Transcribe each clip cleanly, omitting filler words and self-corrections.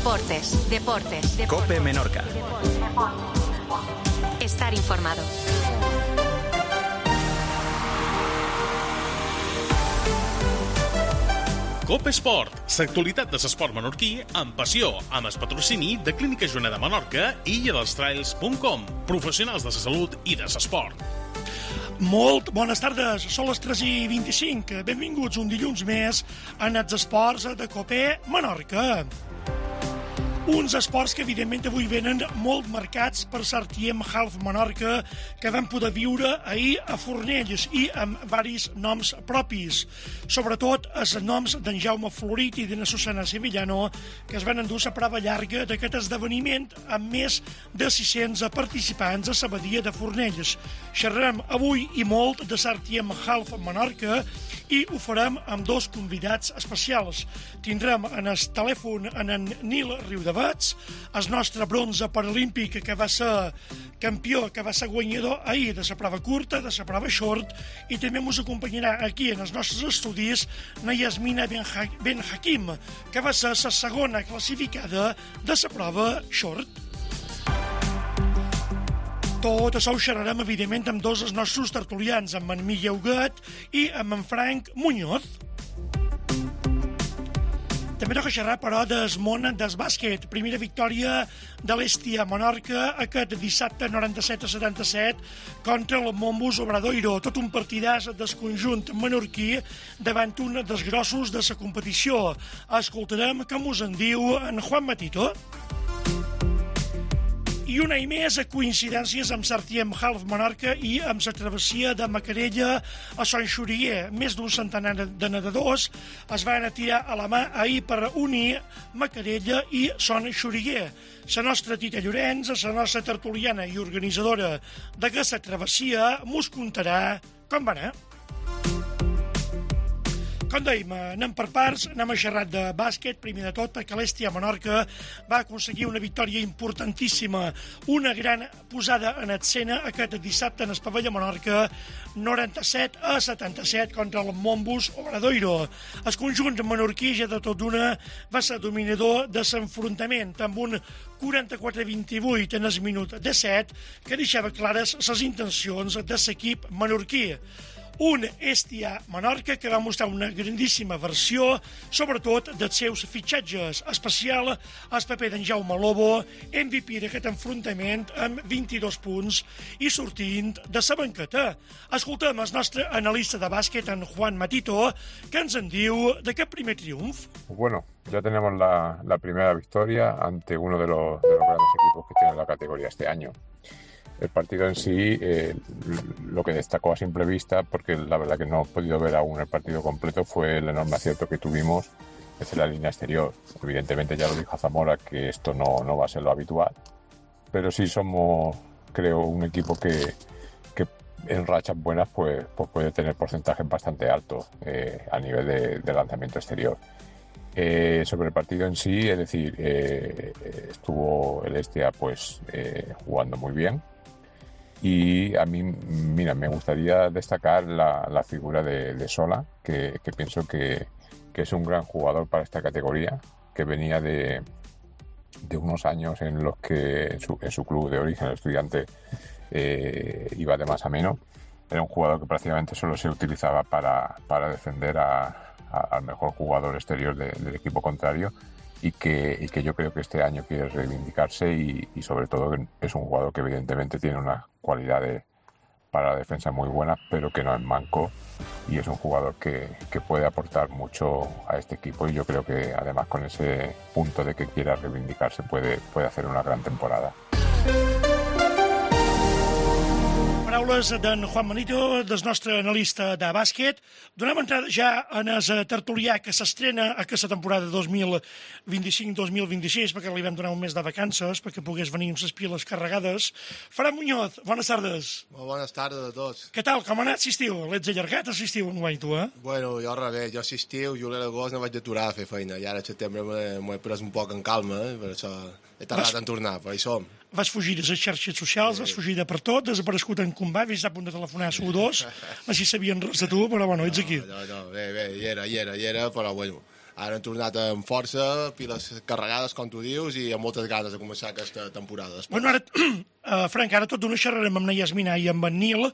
Deportes. COPE Menorca. Estar informado. COPE Esport, l'actualitat de l'esport menorquí amb passió, amb el patrocini de Clínica Joana de Menorca i illadelstrails.com, professionals de la salut i de l'esport. Molt bones tardes, són les 3:25. Benvinguts un dilluns més en els esports de COPE Menorca. Uns esports que evidentment avui venen molt marcats per l'Artiem Half Menorca que vam poder viure ahir a Fornells i amb varis noms propis. Sobretot els noms d'en Jaume Florit i d'en Susana Sevillano que es van endur la prova llarga d'aquest esdeveniment amb més de 600 participants a la badia de Fornells. Xerrarem avui i molt de l'Artiem Half Menorca i ho farem amb dos convidats especials. Tindrem en el telèfon en Nil Riudavats, el nostre bronze paralímpic que va ser campió, que va ser guanyador ahir de la prova curta, de la prova short, i també ens acompanyarà aquí en els nostres estudis na Yasmina Ben Hakim, que va ser la segona classificada de la prova short. Tot això ho xerrarem, evidentment, amb dos dels nostres tertulians, amb en Miguel Huguet i amb en Frank Muñoz. També toca xerrar, però, del món del bàsquet. Primera victòria de l'Hèstia Menorca aquest dissabte 97-77 contra el Mombus Obradoiro. Tot un partidàs del conjunt menorquí davant un dels grossos de la competició. Escoltarem què mos en diu en Juan Matito. I una i més coincidències amb l'Artiem Half Menorca i amb la travessia de Macarella a Sant Xurier. Més d'un centenar de nedadors es van tirar a la mà ahir per unir Macarella i Sant Xurier. La nostra Tita Llorenç, la nostra tertuliana i organitzadora d'aquesta travessia, mos contarà com va anar. Com dèiem, anem per parts, anem a xerrar de bàsquet, primer de tot, perquè l'Hèstia Menorca va aconseguir una victòria importantíssima, una gran posada en escena aquest dissabte en el pavelló Menorca, 97-77 contra el Mombus Obradoiro. El conjunt menorquí, ja de tot d'una, va ser dominador de l'enfrontament, amb un 44-28 en el minut de 7, que deixava clares les intencions de l'equip menorquí. Un Hèstia Menorca que va mostrar una grandíssima versió, sobretot dels seus fitxatges, especial el paper d'en Jaume Lobo, MVP d'aquest enfrontament amb 22 punts i sortint de la banqueta. Escoltem el nostre analista de bàsquet, en Juan Matito, que ens en diu d'aquest primer triomf. Bueno, ya tenemos la primera victoria ante uno de los grandes equipos que tiene la categoría este año. El partido en sí, lo que destacó a simple vista, porque la verdad que no he podido ver aún el partido completo, fue el enorme acierto que tuvimos desde la línea exterior. Evidentemente ya lo dijo Zamora que esto no va a ser lo habitual, pero sí somos, creo, un equipo que en rachas buenas pues puede tener porcentajes bastante altos a nivel de lanzamiento exterior. Sobre el partido en sí, es decir, estuvo el Hèstia pues jugando muy bien. Y a mí, mira, me gustaría destacar la figura de Sola, que pienso que es un gran jugador para esta categoría, que venía de unos años en los que en su club de origen, el Estudiante, iba de más a menos. Era un jugador que prácticamente solo se utilizaba para defender al mejor jugador exterior del equipo contrario, y que yo creo que este año quiere reivindicarse y sobre todo es un jugador que evidentemente tiene unas cualidades para la defensa muy buenas, pero que no es manco, y es un jugador que puede aportar mucho a este equipo, y yo creo que además con ese punto de que quiera reivindicarse puede hacer una gran temporada. Paraules d'en Juan Manito, del nostre analista de bàsquet. Donem entrada ja en el tertulià que s'estrena aquesta temporada 2025-2026, perquè li vam donar un mes de vacances perquè pogués venir amb les piles carregades. Fran Muñoz, bones tardes. Molt bones tardes a tots. Què tal, com ha anat l'estiu? L'ets allargat, l'estiu, enguany, tu, eh? Bueno, jo al revés, jo l'estiu, juliol i agost no vaig aturar a fer feina, i ara a setembre m'ho he pres un poc en calma, per això he tardat en tornar, però hi som. Vas fugir de les xarxes socials, vas fugir de per tot, desaparegut en combat, vist a punt de telefonar a SU2, així sabien res de tu, però bueno, ets aquí. No, bé, hi era, però bueno, ara han tornat amb força, piles carregades, com tu dius, i amb moltes ganes de començar aquesta temporada. Bueno, ara, Frank, ara tot d'una xerrarem amb na Yasmina i amb en Nil,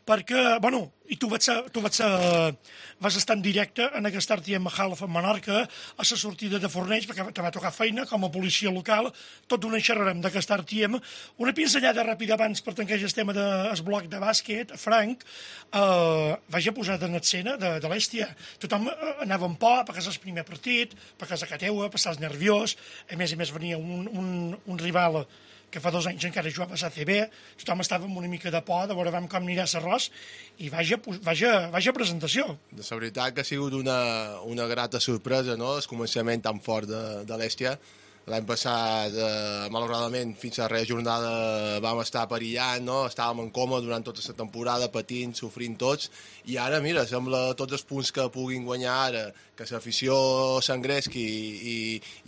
perquè, bueno, i tu vas estar en directe en aquesta RTM Hall a Menorca, a la sortida de Fornells, perquè te va tocar feina com a policia local, tot d'una xerrarem d'aquesta RTM. Una pinzellada ràpida abans per tancar el tema del bloc de bàsquet, Frank, vaig a posar en escena de l'Èstia. Tothom anava en por, perquè és el primer partit, perquè és a Cateua, perquè estàs nerviós, a més venia un rival que fa 2 anys encara jugava a ACB, tothom estava amb una mica de por de veure com anirà l'arròs, i vaja presentació. La veritat que ha sigut una grata sorpresa, no?, el començament tan fort de l'Èstia. L'any passat, malauradament, fins a la jornada vam estar perillant, no? Estàvem en coma durant tota la temporada, patint, sofrint tots, i ara, mira, sembla tots els punts que puguin guanyar ara, que l'afició s'engresqui i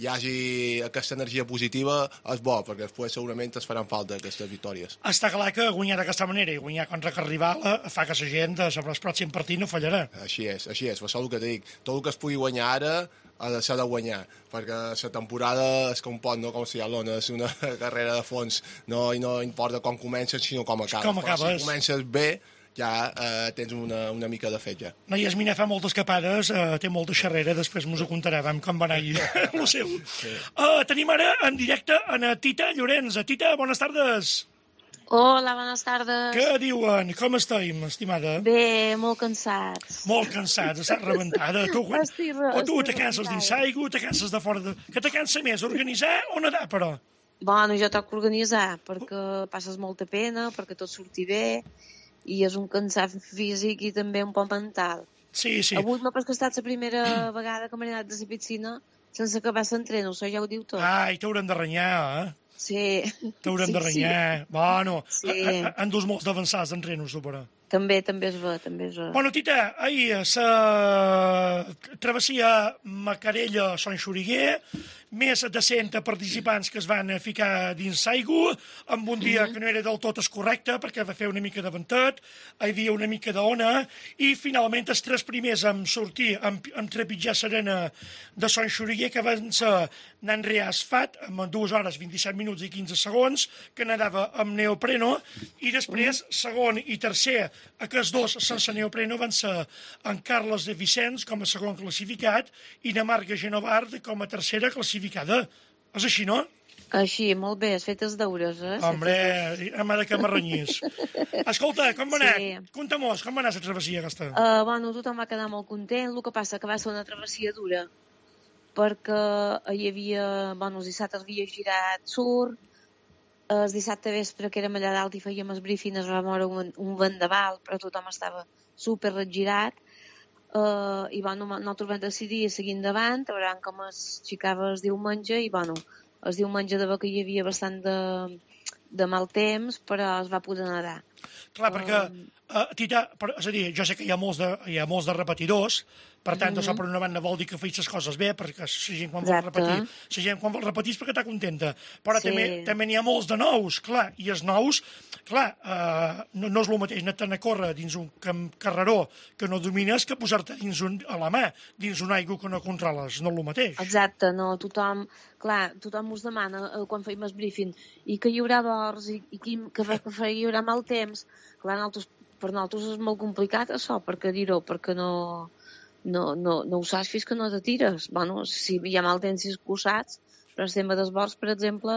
hi hagi aquesta energia positiva, és bo, perquè després segurament es faran falta aquestes victòries. Està clar que guanyar d'aquesta manera i guanyar contra el rival fa que la gent sobre el pròxim partit no fallarà. Així és, per això el que te dic. Tot el que es pugui guanyar ara s'ha de guanyar, perquè la temporada es compon, no com si és una carrera de fons, no, i no importa com comences, sinó com acabes. Però si comences bé, ja tens una mica de fet, ja. No, Yasmina fa moltes capades, té molta xerrera, després mos ho contarà, com va anar el seu. Sí. Tenim ara en directe a Tita Llorenç. Tita, bones tardes. Hola, bones tardes. Què diuen? Com estem, estimada? Bé, molt cansats. Molt cansats, estàs rebentada. O tu te canses dins l'aigua, te canses de fora de... Què te cansa més, organitzar o nedar, però? Bueno, jo toc organitzar, perquè passes molta pena, perquè tot surti bé, i és un cansat físic i també un poc mental. Sí. Avui m'ha pas estat la primera vegada que m'he anat de la piscina sense acabar l'entreno, això ja ho diu tot. Ai, t'haurem de renyar, Sí. T'haurem de renyar. Bueno, sí. Han dus molts d'avançats d'entrenos, tu, però. També és bo. Bueno, Tita, ahir la travessia Macarella-Sant Xuriguer, més de 100 participants que es van ficar dins l'aigua, amb un dia que no era del tot correcte, perquè va fer una mica de ventet, hi havia una mica d'ona, i finalment els 3 primers en sortir, en trepitjar l'arena de Sant Xuriguer, que van ser Nanrea Asfat, amb 2 hores, 27 minuts i 15 segons, que nedava amb neopreno, i després, segon i tercer, aquests 2 sense neopreno van ser en Carles de Vicenç com a segon classificat i na Marga Genovard com a tercera classificada. És així, no? Així, molt bé, has fet els deures, Hombre, m'ha de que m'arrenyís. Escolta, com va anar? Conta-mos, com va anar la travessia aquesta? Bueno, tothom va quedar molt content, el que passa que va ser una travessia dura, perquè hi havia, bueno, els dissabtes havia girat surf, el dissabte vespre, que érem allà dalt i fèiem el briefing, es va moure un vendaval, però tothom estava super regirat, i bueno, nosaltres vam decidir seguir endavant, a veure com es xicava el diumenge, i bueno, el diumenge de que hi havia bastant de mal temps, però es va poder nedar. Clar, perquè, Tita, és a dir, jo sé que hi ha molts de repetidors, per tant, això per una banda vol dir que feis les coses bé, perquè la gent quan vol repetir és perquè està contenta. Però també n'hi ha molts de nous, clar, i els nous, clar, no és el mateix anar a córrer dins un carreró que no domines que posar-te a la mà, dins una aigua que no controles, no és el mateix. Exacte, no, tothom us demana quan feim el briefing i que hi haurà dors i que hi haurà mal temps. Clar, per nosaltres és molt complicat això, perquè dir-ho, perquè no ho saps fins que no te tires. Bueno, si hi ha mal temps i ho saps, però el tema dels vols, per exemple,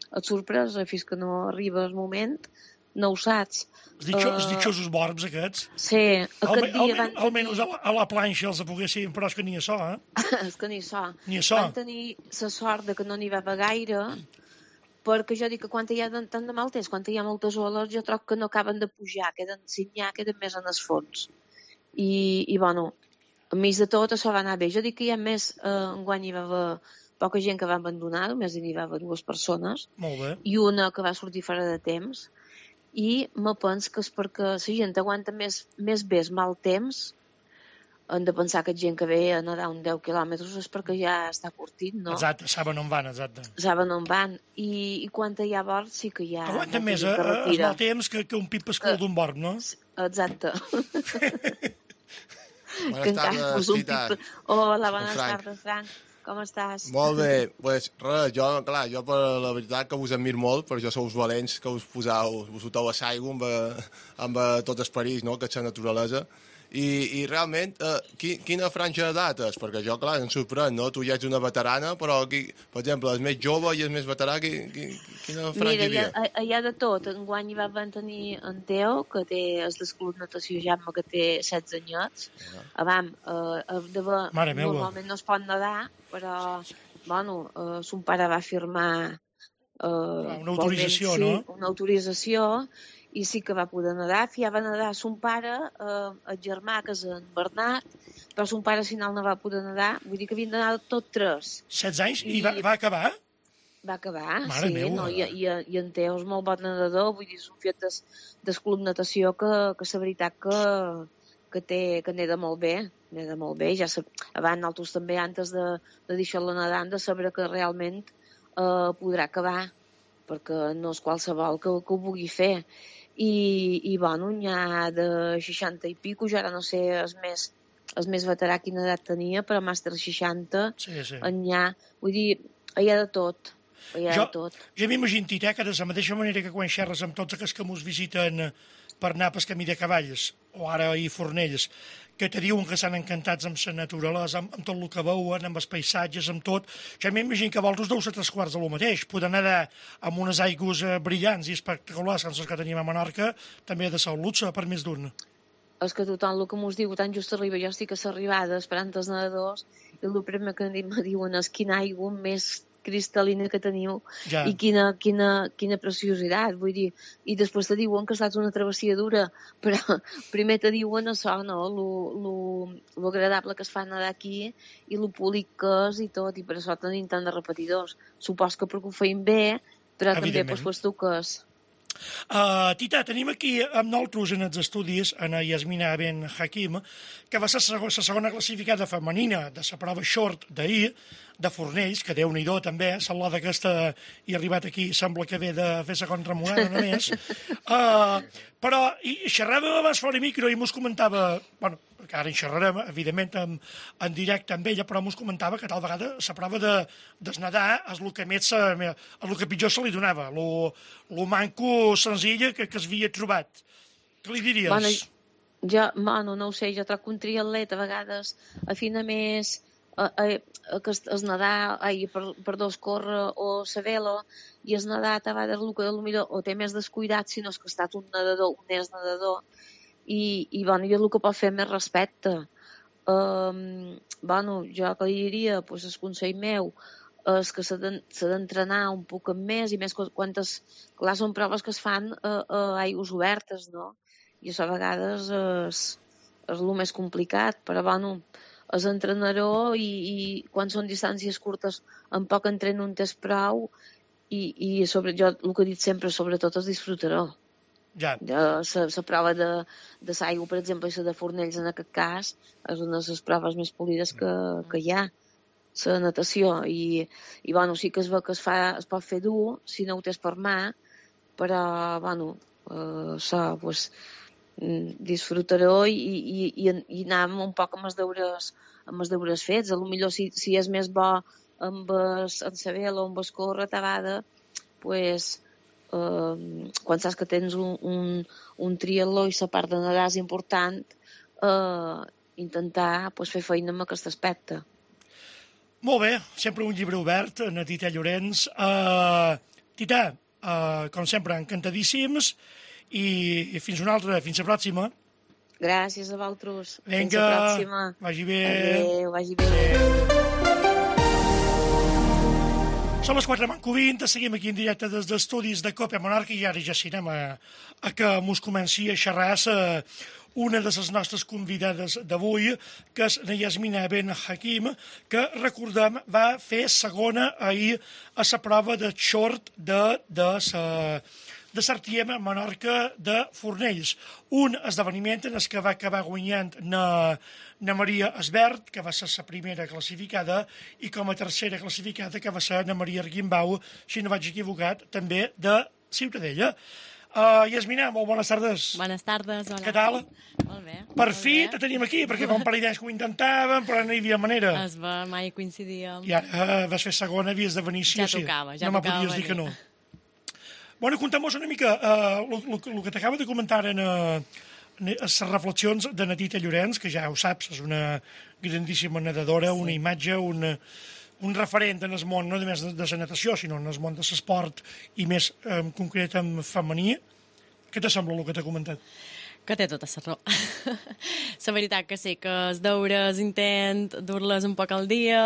et sorpresa fins que no arriba el moment, no ho saps. Els ditxosos borbs aquests. Sí, aquest dia almenys a la planxa els poguessin, però és que ni això, És que ni això. Van tenir la sort que no n'hi va haver gaire, perquè jo dic que quan hi ha tant de mal temps, quan hi ha moltes oles, jo trobo que no acaben de pujar, queden més en el fons. I bueno, enmig de tot això va anar bé. Jo dic que hi ha més, enguany hi va haver poca gent que va abandonar, només n'hi va haver 2 persones, i una que va sortir fora de temps, i me penso que és perquè la gent aguanta més bé el mal temps. Hem de pensar que gent que ve a nedar 10 quilòmetres és perquè ja està curtit, no? Exacte, saben on van, exacte. Saben on van, i quan hi ha bord sí que hi ha... Aguanta més el mal temps que un pip escul d'un bord, no? Exacte. Buenas tardes, Tita. Hola, bones tardes, Frank. Com estàs? Molt bé, pues res, jo per la veritat que us admiro molt, per això sou valents, que us foteu a l'aigua amb tot el perill, no?, que és la naturalesa. I realment, quina franja d'edat és? Perquè jo, clar, em sorprèn, no? Tu ja ets una veterana, però, per exemple, el més jove i el més veterà, quina franja hi havia? Mira, hi ha de tot. Enguany hi van tenir en Teo, que és del Club Natació Jaume, que té 16 anyets. Normalment no es pot nedar, però, bueno, son pare va firmar una autorització, no? Una autorització, i sí que va poder nedar. Fiava nedar son pare, el germà, que és en Bernat, però son pare al final no va poder nedar. Vull dir que havien d'anar tot 3. 16 anys? I va acabar? Va acabar, Mare sí. Meva. No, i en Teo és molt bon nedador, vull dir, és un fet del Club Natació que la veritat que neda molt bé. Neda molt bé. Ja abans nosaltres també, antes de deixar-lo nedar, hem de saber que realment podrà acabar, perquè no és qualsevol que ho vulgui fer. I bueno, n'hi ha de 60 i pico, jo ara no sé el més veterà quina edat tenia, però màster 60, n'hi ha, vull dir, hi ha de tot. Jo m'imagino, Tita, que de la mateixa manera que quan xerres amb tots aquells que mos visiten per anar pel camí de cavalls, o ara a Fornells, que te diuen que estan encantats amb la naturalesa, amb tot el que veuen, amb els paisatges, amb tot. Jo m'imagino que vosaltres deu ser 3/4 de lo mateix. Poder nedar amb unes aigües brillants i espectaculars, com les que tenim a Menorca, també ha de ser un luxe per més d'un. És que tothom el que mos diu, tan just arriba, jo estic a l'arribada esperant els nedadors, i el primer que me diuen és quina aigua més cristal·lina que teniu, i quina preciositat, vull dir, i després te diuen que ha estat una travessia dura, però primer te diuen això, no?, lo agradable que es fa nedar aquí, i lo públic que és i tot, i per això tenim tant de repetidors. Supos que perquè ho feim bé, però també pues tu que és. Tita, tenim aquí amb nosaltres en els estudis en Yasmina Ben Hakim, que va ser la segona classificada femenina de la prova short d'ahir, de Fornells, que Déu-n'hi-do també, salada aquesta i arribat aquí, sembla que ve de fer segon remuada només. Però xerràvem abans fora micro i mos comentava, bueno, que ara en xerrarem, evidentment, en directe amb ella, però mos comentava que tal vegada la prova de nedar és el que més, el que pitjor se li donava, lo manco senzill que es havia trobat. Què li diries? Bueno, jo no ho sé, jo trobo que un triatlet a vegades afina més que es nedar, córrer o la vela, i es nedar a vegades el que potser o té més descuidat, si no és que ha estat un és nedador, i bueno, jo el que pot fer més respecte. Bueno, jo que li diria, pues, el consell meu és que s'ha d'entrenar un poc més, i més quan clar, són proves que es fan a aigües obertes, no? I això a vegades és el més complicat, però bueno, és entrenador, i quan són distàncies curtes en poc entreno un test prou, i jo el que he dit sempre, sobretot és disfrutar-ho. Ja. La prova de l'aigua, per exemple, i la de Fornells en aquest cas, és una de les proves més polides que hi ha, la natació, i bueno, sí que es veu que es pot fer dur si no ho tens per mà, però bueno, això, pues, disfrutar-ho i anar un poc amb els deures fets. Potser si és més bo amb la vela o amb el córrer, a vegades, pues, quan saps que tens un triatló i la part de nedar és important, intentar pues, fer feina en aquest aspecte. Molt bé, sempre un llibre obert, na Tita Llorenç. Tita, com sempre, encantadíssims, i fins una altra, fins la pròxima. Gràcies a vosaltres. Vinga, fins la pròxima. Vagi bé. Adéu, vagi bé. Són les 4:20, seguim aquí en directe des d'estudis de Cope Menorca, i ara ja anem a que mos comenci a xerrar una de les nostres convidades d'avui, que és la Yasmina Ben Hakim, que, recordem, va fer segona ahir a la prova de short de Sartiem a Menorca de Fornells. Un esdeveniment en el que va acabar guanyant na Maria Esbert, que va ser la primera classificada, i com a tercera classificada, que va ser na Maria Arguimbau, si no vaig equivocat, també de Ciutadella. Yasmina, molt bones tardes. Bones tardes, hola. Què tal? Molt bé. Per fi te tenim aquí, perquè fa un parell d'anys que ho intentàvem, però no hi havia manera. Es va, mai coincidíem. I ara vas fer segona, havies de venir sí Ja o sí. tocava No me podies dir que no. Bueno, contem-nos una mica el que t'acaba de comentar en les reflexions de Natita Llorenç, que ja ho saps, és una grandíssima nedadora, una imatge, un referent en el món, no només de la natació, sinó en el món de l'esport i més en concret en femení. Què te sembla el que t'ha comentat? Que té tota la raó. La veritat que sí, que els deures intent dur-les un poc al dia,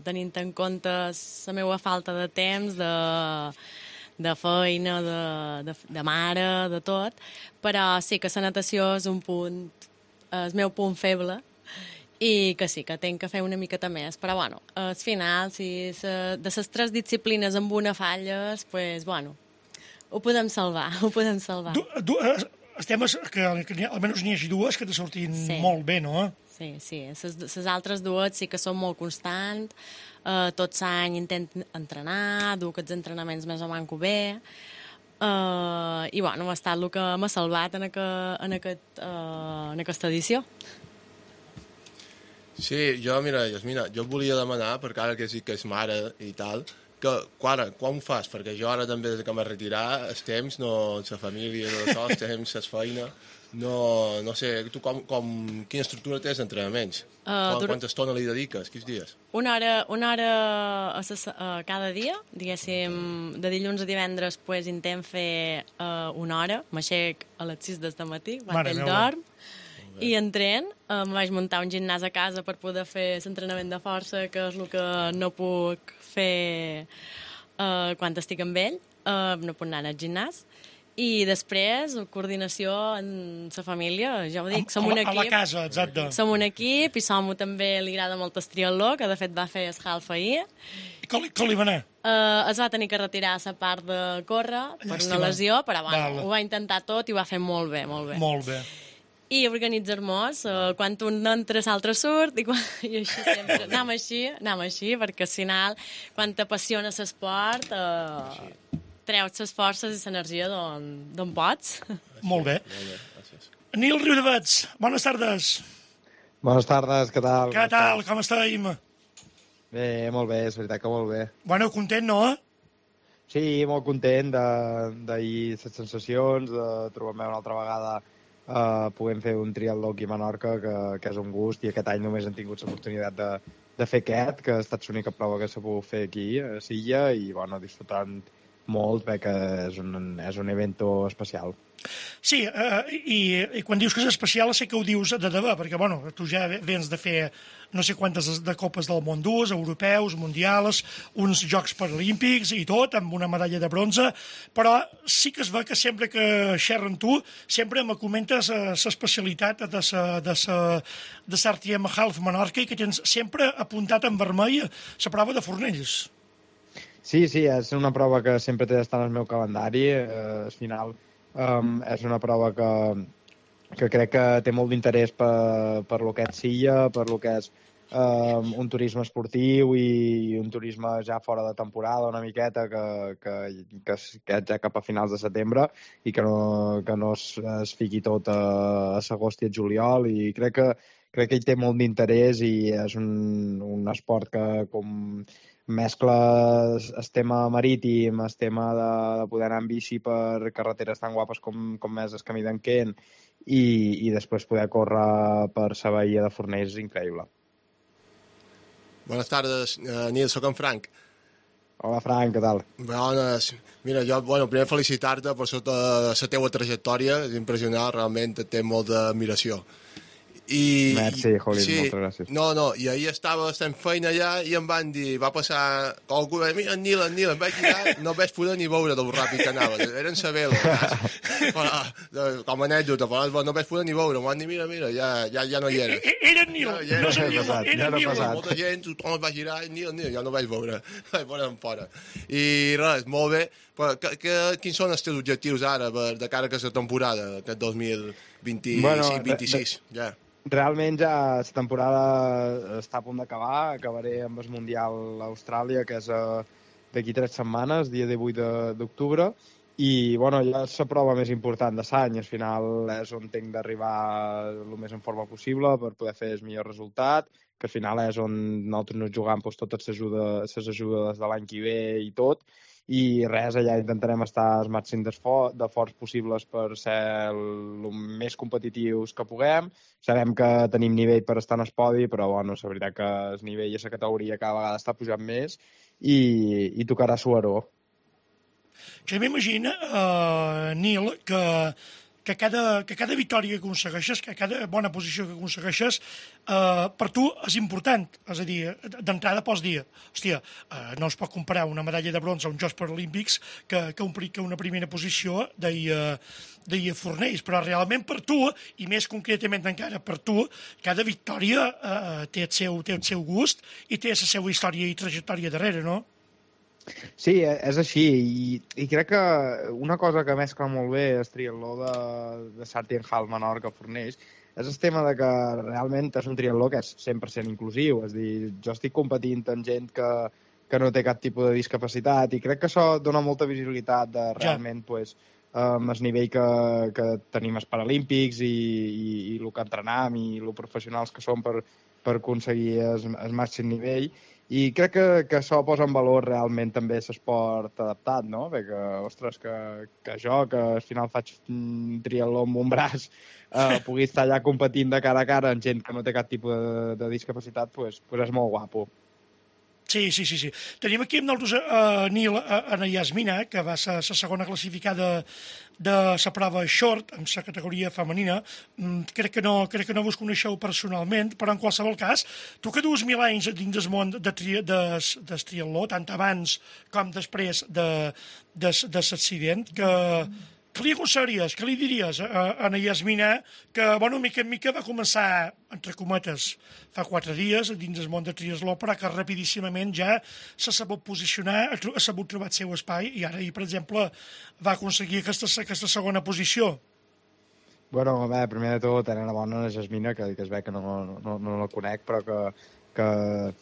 tenint en compte la meva falta de temps, de feina, de mare, de tot, però sí que la natació és el meu punt feble, i que sí, que tenc que fer una miqueta més. Però, bueno, al final, si de les 3 disciplines amb una falles, pues, bueno, ho podem salvar, ho podem salvar. Els temes que almenys n'hi hagi dues que te sortin molt bé, no? Sí, sí. Les altres dues sí que són molt constants. Tot l'any intento entrenar, dur aquests entrenaments més o manco bé. I, bueno, ha estat el que m'ha salvat en aquesta edició. Sí, mira, Yasmina, jo volia demanar, perquè ara que sí que és mare i tal, que quan ho fas? Perquè jo ara també, des que m'he retirat, els temps, no, la família, els temps, la feina, no sé, tu quina estructura tens d'entrenaments? Quanta estona li dediques? Quins dies? Una hora cada dia, diguéssim, de dilluns a divendres, pues, intent fer una hora, m'aixec a les 6 del matí, quan ell dorm, i entren, em vaig muntar un gimnàs a casa per poder fer l'entrenament de força, que és el que no puc fer quan estic amb ell, no puc anar al gimnàs. I després, coordinació en la família, ja ho dic, som un equip. A la casa, exacte. Som un equip, i som també li agrada molt el triatló, que de fet va fer el half ahir. I com li va anar? Es va tenir que retirar la part de córrer per una lesió, però bueno, ho va intentar tot i ho va fer molt bé, molt bé. Molt bé. I organitzar-nos, quan un entra, l'altre surt, i així sempre. Anem així, perquè al final, quan t'apassiona l'esport, treus les forces i l'energia d'on pots. Molt bé. Nil Riudavets, bones tardes. Bones tardes, què tal? Què tal, com estem? Bé, molt bé, és veritat que molt bé. Bueno, content, no? Sí, molt content d'ahir les sensacions, de trobar-me una altra vegada podem fer un triatló aquí a Menorca, que és un gust, i aquest any només hem tingut l'oportunitat de fer aquest, que ha estat l'única prova que s'ha pogut fer aquí a Silla, i bueno, disfrutant molt, perquè és un evento especial. Sí, i quan dius que és especial sé que ho dius de debò, perquè bueno, tu ja vens de fer no sé quantes de copes del món durs, europeus, mundials, uns Jocs Paralímpics i tot, amb una medalla de bronze, però sí que es veu que sempre que xerro amb tu, sempre me comentes l'especialitat de l'Artiem Half Menorca, i que tens sempre apuntat en vermell la prova de Fornells. Sí, és una prova que sempre té d'estar en el meu calendari. Al final és una prova que crec que té molt d'interès per lo que és Silla, per lo que és un turisme esportiu i un turisme ja fora de temporada una miqueta, que és ja cap a finals de setembre, i que no es fiqui tot a l'agost i el juliol, i crec que ell té molt d'interès, i és un esport que com mescla el tema marítim, el tema de poder anar en bici per carreteres tan guapes com és el camí d'en Kent, i després poder córrer per la bahia de Fornells és increïble. Bones tardes, Nil, soc en Frank. Hola, Frank, què tal? Bones. Mira, jo, primer felicitar-te per la teua trajectòria, és impressionant, realment té molta admiració. Merci, Jolín, moltes gràcies. No, i ahir estava fent feina allà i em van dir, va passar algú, mira, en Nil, em vaig girar, no vaig poder ni veure del ràpid que anava, era en sa vela, com a anècdota, però no vaig poder ni veure, em van dir, mira, ja no hi era. Era en Nil, era en Nil. Molta gent, tothom es va girar, Nil, ja no vaig veure, vaig veure en fora. I res, molt bé, però quins són els teus objectius ara, de cara a aquesta temporada, aquest 2025-26, ja? Realment ja la temporada està a punt d'acabar, acabaré amb el Mundial a Austràlia, que és d'aquí 3 setmanes, dia 18 d'octubre, i bueno, ja és la prova més important de l'any, al final és on tinc d'arribar el més en forma possible per poder fer el millor resultat, que al final és on nosaltres nos jugam doncs, totes les ajudes de l'any que ve i tot, i res, allà intentarem estar al màxim de forts possibles per ser el més competitius que puguem. Sabem que tenim nivell per estar en el podi, però bueno, la veritat que el nivell i la categoria cada vegada està pujant més i tocarà suar-ho. Jo m'imagino, Nil, que cada victòria que aconsegueixes, que cada bona posició que aconsegueixes, per tu és important. És a dir, d'entrada pots dir, hòstia, no es pot comparar una medalla de bronze a uns Jocs Paralímpics que una primera posició deia Fornells, però realment per tu, i més concretament encara per tu, cada victòria té el seu gust i té la seva història i trajectòria darrere, no? Sí, és així, i crec que una cosa que mescla molt bé el triatló de Sartienhal, Menorca, Fornells, és el tema de que realment és un triatló que és 100% inclusiu, és a dir, jo estic competint amb gent que no té cap tipus de discapacitat, i crec que això dona molta visibilitat de realment pues, el nivell que tenim els Paralímpics i el que entrenam i el professionals que som per aconseguir el màxim nivell. I crec que això posa en valor realment també l'esport adaptat, no? Perquè, ostres, que jo, que al final faig un triatló amb un braç, pugui estar allà competint de cara a cara amb gent que no té cap tipus de discapacitat, pues és molt guapo. Sí. Tenim aquí amb nosaltres Nil, Ana Yasmina, que va ser la segona classificada de la prova short, en la categoria femenina. Crec que no vos coneixeu personalment, però en qualsevol cas, tu que dues 1000 anys dins del món del triatló, tant abans com després de l'accident, què li aconseguiries, què li diries a Ana Yasmina, que, bueno, mica en mica va començar, entre cometes, fa 4 dies dins del món del triatló, però que rapidíssimament ja s'ha sabut posicionar, ha sabut trobar el seu espai, i ara, per exemple, va aconseguir aquesta segona posició. Bueno, bé, primer de tot, enhorabona a la Yasmina, que es ve que no la conec, però que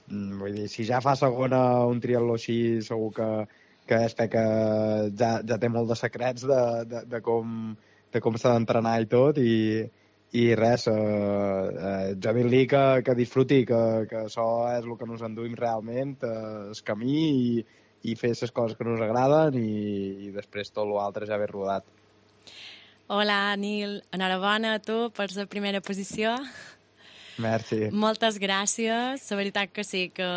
vull dir, si ja fa segona un triatló així, segur que és que ja té molt de secrets de com s'ha d'entrenar i tot, i res, jo dir-li que disfruti, que això és el que ens enduïm realment, el camí, i fer les coses que ens agraden, i després tot l'altre ja ve rodat. Hola, Nil, enhorabona a tu per la primera posició. Merci. Moltes gràcies. La veritat que sí, que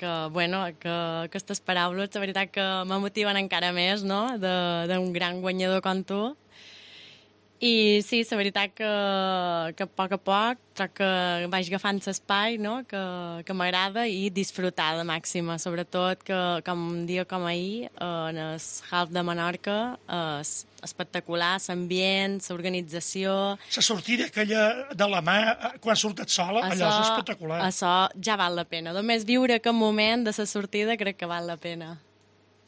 aquestes paraules, la veritat que me motiven encara més, no?, d'un gran guanyador com tu. I sí, la veritat que a poc troc que vaig agafant l'espai, no?, que m'agrada, i disfrutar de màxima. Sobretot que un dia com ahir, en el Half de Menorca, és espectacular, l'ambient, l'organització... La sortida aquella de la mà, quan surt sola, allò és espectacular. Això ja val la pena. Només viure aquest moment de la sortida crec que val la pena.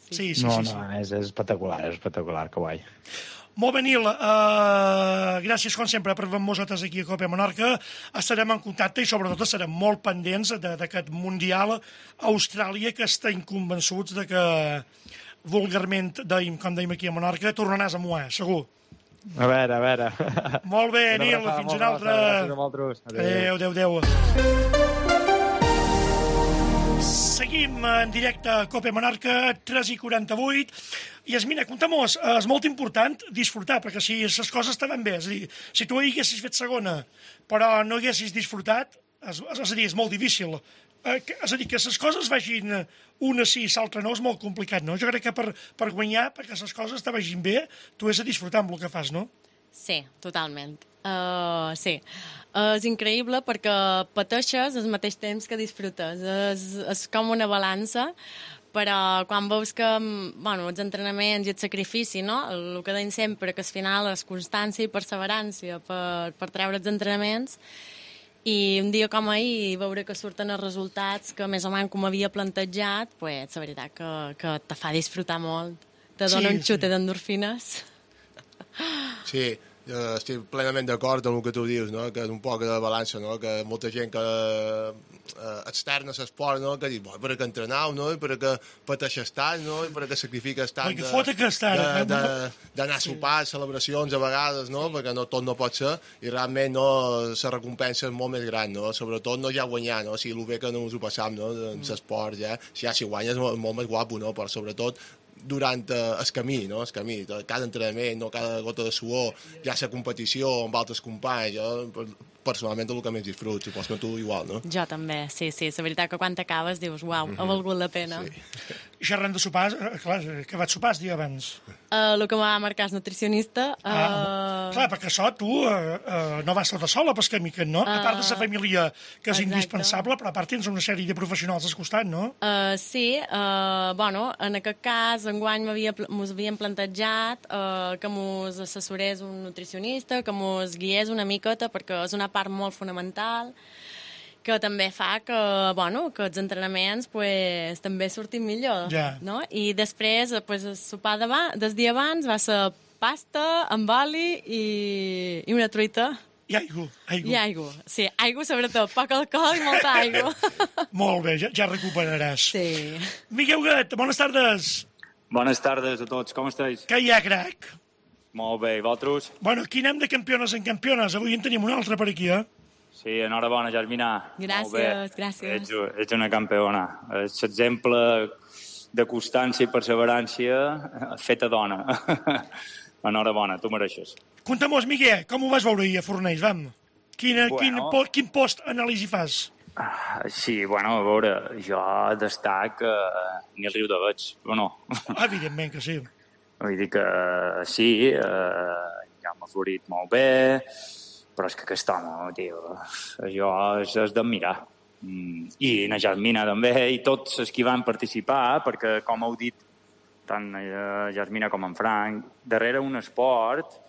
Sí. No, és espectacular, que guai. Molt bé, Nil, gràcies com sempre per venir nosaltres aquí a Copa Menorca. Estarem en contacte i sobretot estarem molt pendents d'aquest Mundial a Austràlia, que estem convençuts de que vulgarment, com dèiem aquí a Menorca, tornaràs a moar, segur. A veure. Molt bé, Nil, fins una altra. Gràcies a vosaltres. Adéu. Seguim en directe a Copa Menorca, 3:48. Yasmina, compta-mos, és molt important disfrutar, perquè si les coses estaven bé, és a dir, si tu haguessis fet segona, però no haguessis disfrutat, és a dir, és molt difícil. És a dir, que les coses vagin una sí i l'altra no, és molt complicat, no? Jo crec que per guanyar, perquè les coses te vagin bé, tu has de disfrutar amb el que fas, no? Sí, totalment. Sí. És increïble perquè pateixes al mateix temps que disfrutes. És com una balança, però quan veus que els entrenaments i el sacrifici, no? El que deim sempre, que al final és constància i perseverància per treure els entrenaments, i un dia com ahir veure que surten els resultats que més o menys com havia plantejat, pues, la veritat que te fa disfrutar molt. Te dona un xute d'endorfines. Sí, Estic plenament d'acord amb el que tu dius, no? Que és un poc de balança, no? Que molta gent que externa a l'esport, no? Que diu, per què entrenau, no? I per què pateixes tant, no? I per què sacrifiques tant d'anar a sopar, celebracions a vegades, no? Perquè tot no pot ser, i realment no, la recompensa és molt més gran, no? Sobretot no ja guanyar, no? O sigui, el bé que no ens ho passam, no? En l'esport, ja si guanyes és molt més guapo, no? Però sobretot durant el camí, no? El camí, cada entrenament, no? Cada gota de suor, ja la competició amb altres companys, jo personalment és el que més disfruto, supos que tu igual, no? Jo també, sí. La veritat que quan t'acabes dius, uau, ha valgut la pena. Sí. I xerrant de sopars, clar, que vaig sopar el dia abans? El que m'ha marcat és nutricionista. Clar, perquè això tu no vas tota sola pel camí, no? A part de la família, que és indispensable, però a part tens una sèrie de professionals al costat, no? Sí, bueno, en aquest cas, enguany mos havien plantejat que mos assessorés un nutricionista, que mos guiés una miqueta, perquè és una part molt fonamental, que també fa que, bueno, que els entrenaments pues, també surtin millor. Ja. No? I després, pues, el sopar del dia abans va ser pasta amb oli i una truita. I aigua. I aigua, sí. Aigua, sobretot. Poc alcohol i molta aigua. Molt bé, ja recuperaràs. Sí. Miquel Huguet, bones tardes. Bones tardes a tots, com esteu? Què hi ha, crac? Molt bé, i vosaltres? Bueno, aquí anem de campiones en campiones. Avui en tenim una altra per aquí, Sí, enhorabona, Jasmina. Gràcies. Ets una campiona. És l'exemple de constància i perseverància feta dona. Enhorabona, tu mereixes. Conta-mos, Miguel, com ho vas veure ahir a Fornells, vam? Quin post anàlisi fas? Sí, bueno, a veure, jo destac ni el riu de Veig, o no? Evidentment que sí. Vull dir que sí, ja m'ha florit molt bé, però és que aquest home, tio, això és d'admirar. I na Jasmina també, i tots els que van participar, perquè, com heu dit, tant Jasmina com en Frank, darrere un esport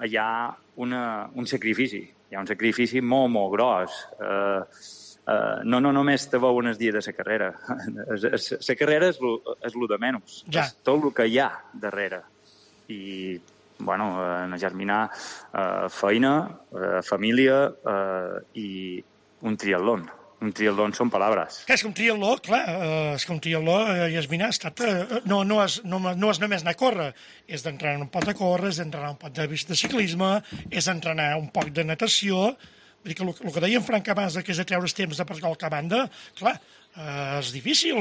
hi ha un sacrifici. Hi ha un sacrifici molt, molt gros. No només te veuen el dia de la carrera. La carrera és el de menys. Ja. És tot el que hi ha darrere. I, bueno, en Jasmina, feina, família i un triatlon. Un triatlon són paraules. Que és que un triatló, clar, és que un triatló, Jasmina, ha estat... No és només anar a córrer, és d'entrenar un poc de córrer, és d'entrenar un poc de ciclisme, és d'entrenar un poc de natació. Vull dir que el que deia en Frank abans, que és de treure els temps de per qualque banda, clar, és difícil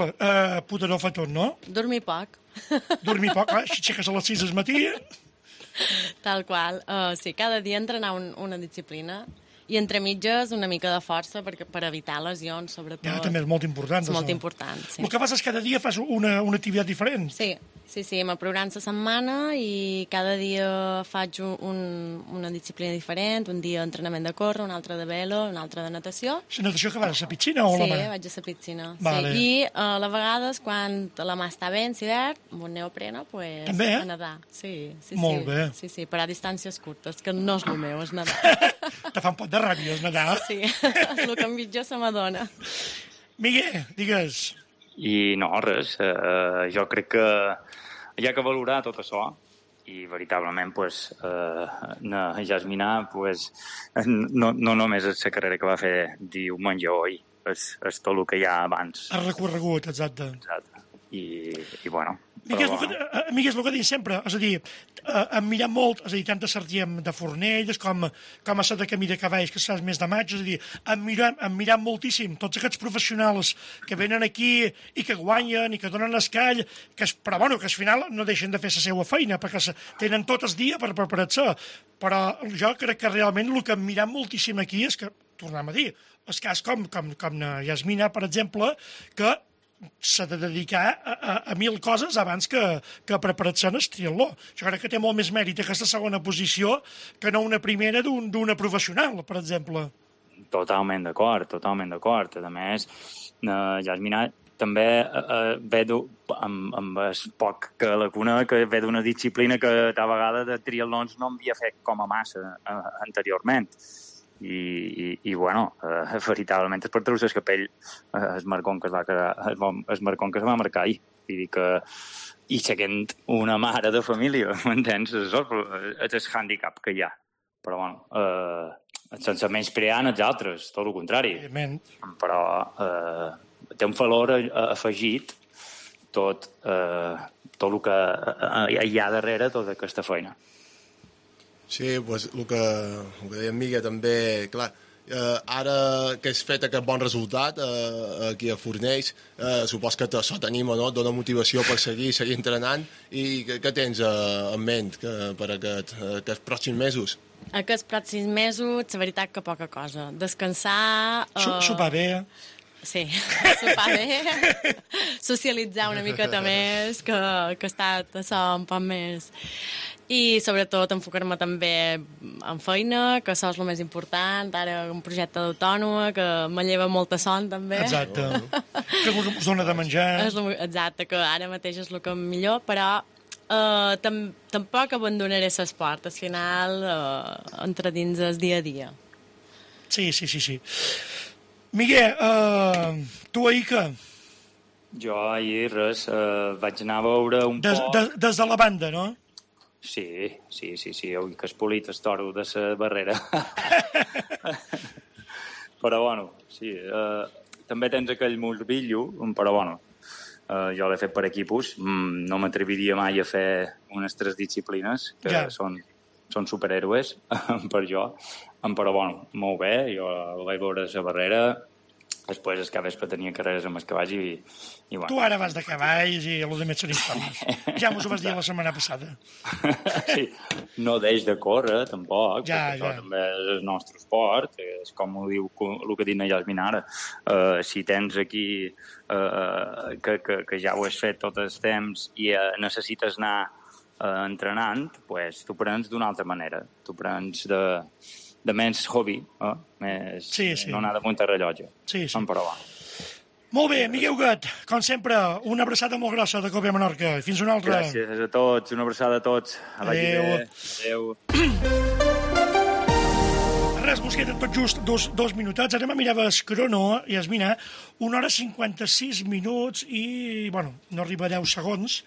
poder-ho fer tot, no? Dormir poc. Dormir poc, clar, si aixeques a les 6 del matí... Tal qual. Sí, cada dia entrenar una disciplina i entre mitges una mica de força per evitar lesions, sobretot. Ja, també és molt important. És molt important, sí. El que fas és cada dia fas una activitat diferent. Sí, me programo la setmana i cada dia faig una disciplina diferent, un dia entrenament de córrer, un altre de velo, un altre de natació. La natació que vas a la piscina o a la mà? Sí, vaig a la piscina. Vale. Sí. I a vegades, quan la mà està bé, en hivern, amb un neopreno, pues, també, a nedar. Sí. Molt bé. Sí, per a distàncies curtes, que no és el meu, és nedar. Te fa un pot de ràbia, és nedar. Sí, és el que millor se m'adona. Miguel, digues. I no, res. Jo crec que hi ha que valorar tot això i veritablement pues, Jasmina pues, no només és la carrera que va fer diumenge o ahir, és tot el que hi ha abans. El recorregut, exacte. I bueno... Miguel, és el que dic sempre, és a dir, em mirat molt, és a dir, tant a Sardiem de Fornells com a ser de Camí de Cavalls, que saps més de maig, és a dir, em mirat moltíssim tots aquests professionals que venen aquí i que guanyen i que donen escall, però bueno, que al final no deixen de fer la seva feina, perquè tenen tot el dia per preparar-se. Però jo crec que realment el que hem mirat moltíssim aquí és que, tornem a dir, el cas com Jasmina, per exemple, que s'ha de dedicar a 1000 coses abans que preparar-se en el triatló. Jo crec que té molt més mèrit aquesta segona posició que no una primera d'una professional, per exemple. Totalment d'acord. A més, Jasmina també ve amb el poc que la conec, que ve d'una disciplina que a vegades de triatlons no havia fet com a massa anteriorment. I bueno, veritablement és per treure el capell el marcón que es va marcar ahir. I seguint una mare de família, m'entens? És el handicap que hi ha. però bueno, sense menysprear els altres, tot el contrari. Però té un valor afegit tot el que hi ha darrere tota aquesta feina. Sí, pues, el que deia en Miguel també, clar, ara que has fet aquest bon resultat aquí a Fornells, supos que això t'anima, no? Et dona motivació per seguir entrenant, i què tens en ment per aquests pròxims mesos? Aquests pròxims mesos, la veritat que poca cosa. Descansar... Sopar bé. Sí, sopar bé, socialitzar una miqueta més, que ha estat això un poc més... I sobretot enfocar-me també en feina, que això és el més important, ara un projecte d'autònoma que me lleva molta son també. Exacte, que us dona de menjar. Exacte, que ara mateix és el que millor, però tampoc abandonaré l'esport, al final entra dins el dia a dia. Sí. Miguel, tu ahir què? Jo ahir res, vaig anar a veure un poc... Des de la banda, no? Sí, avui que has polit el toro de la barrera. Però, bueno, sí, també tens aquell morbillo, però, bueno, jo l'he fet per equipos, no m'atreviria mai a fer unes 3 disciplines, que són superhéroes per jo, però, bueno, molt bé, jo vaig veure la barrera, després el capvespre tenia carreres amb els cavalls i bueno. Tu ara vas de cavalls i el de més són històries. Ja mos ho vas dir la setmana passada. Sí, no deix de córrer, tampoc, perquè això també és el nostre esport, és com ho diu el que diu la Yasmin ara. Si tens aquí que ja ho has fet tot el temps i necessites anar entrenant, pues t'ho prens d'una altra manera. T'ho prens de menys hobby, més no anar damunt el rellotge. Sí. Però va. Molt bé, Miguel Huguet, com sempre, una abraçada molt grossa de Cope Menorca. Fins una altra. Gràcies a tots, una abraçada a tots. Adéu. Res, mos queden tot just dos minutets. Ara me mirava el crono i es mira 1 hora 56 minuts i, bueno, no arriba a 10 segons.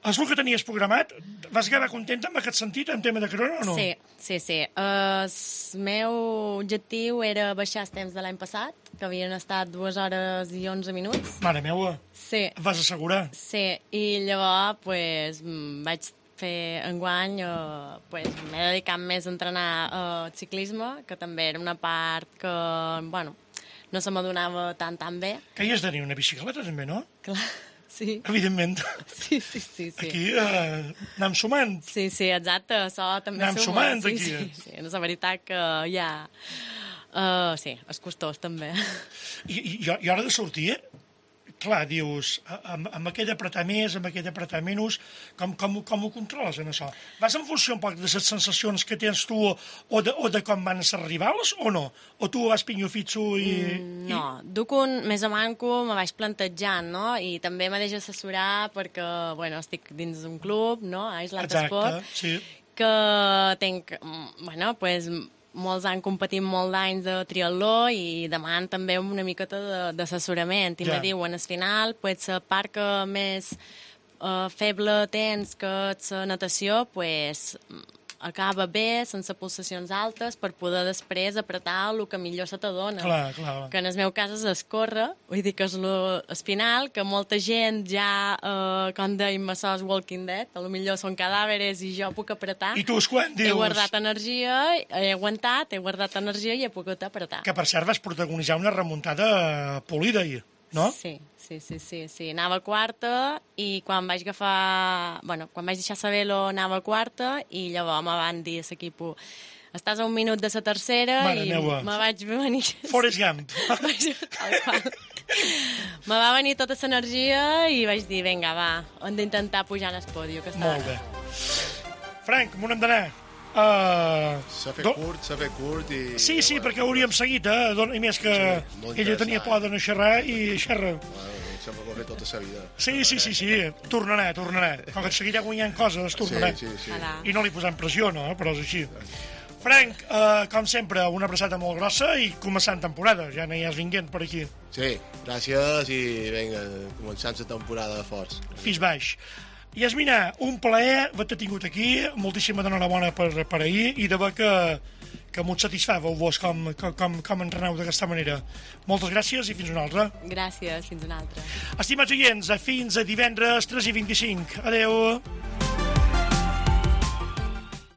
És el que tenies programat? Vas quedar contenta amb aquest sentit, en tema de crono, o no? Sí. El meu objectiu era baixar els temps de l'any passat, que havien estat 2 hores i 11 minuts. Mare meua, sí. Et vas assegurar? Sí, i llavors pues, vaig fer enguany, m'he dedicat més a entrenar ciclisme, que també era una part que, bueno, no se m'adonava tan bé. Que hi has de tenir una bicicleta, també, no? Clar. Sí. Evidentment. Sí. Aquí anem sumant. Sí, exacte, això també anem sumant aquí. Sí, és la veritat que ja... sí, és costós també. I hora de sortir, clar, dius, amb aquell apretar més, amb aquell apretar menys, com ho controles en això? Vas en funció un poc de les sensacions que tens tu o de com van ser rivals o no? O tu vas pinyofitxo i... No, duc més o manco, me vaig plantejant, no? I també me deixo assessorar perquè, bueno, estic dins d'un club, no? A Islat Esport, sí. Que tenc, bueno, pues... molts han competit molt d'anys de triatló i demanen també una miqueta d'assessorament i me diuen al final pues, la part que més feble tens que és la natació pues, acaba bé, sense pulsacions altes, per poder després apretar el que millor se t'adona. Clar. Que en el meu cas és escórrer, vull dir que és el final, que molta gent ja, com dèiem, això és Walking Dead, potser són cadàveres i jo puc apretar. I tu quan dius? He guardat energia, he aguantat, he guardat energia i he pogut apretar. Que per cert vas protagonitzar una remuntada polida ahir, no? Sí. Anava quarta i quan vaig agafar... Bueno, quan vaig deixar saber anava quarta i llavors me van dir a l'equip estàs a 1 minut de la tercera Mare i meua. me vaig venir... Forrest Gump. Me va venir tota l'energia i vaig dir, vinga, va, hem d'intentar pujar en el pòdio. Molt bé. Frank, on hem d'anar? S'ha fet curt i... Sí, perquè hauríem seguit, i més que ella tenia por de no xerrar i xerra. Sempre ho ha fet tota la vida. Sí, tornarà. Com que et seguirà guanyant coses, tornarà. Sí. I no li posem pressió, no? Però és així. Frank, com sempre, una abraçada molt grossa i començant temporada. Ja no hi has vinguent per aquí. Sí, gràcies i vinga, començant la temporada de forts. Fins baix. Yasmina, un plaer haver-te tingut aquí, moltíssima d'enhorabona per ahir i de veure que m'ho satisfeu-vos com entreneu d'aquesta manera. Moltes gràcies i fins una altra. Gràcies, fins una altra. Estimats oients, fins a divendres 3:25. Adeu.